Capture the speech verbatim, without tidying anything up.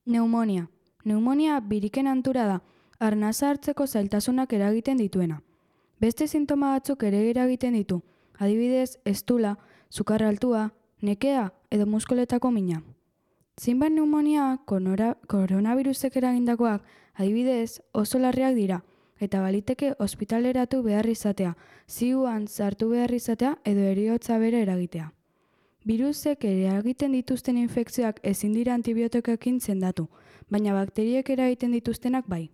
Pneumonia. Pneumonia biriken antura da, arnasa hartzeko zailtasunak eragiten dituena. Beste sintoma batzuk ere eragiten ditu, adibidez, estula, sukar altua, nekea edo muskuletako mina. Zinbat pneumonia koronavirusek eragindakoak, adibidez, oso larriak dira, eta baliteke ospitaleratu behar izatea, ziuan sartu behar izatea edo heriotza bere eragitea. Birusek eragiten dituzten infekzioak ezin dira antibiotikoekin sendatu, baina bakteriek eragiten dituztenak bai.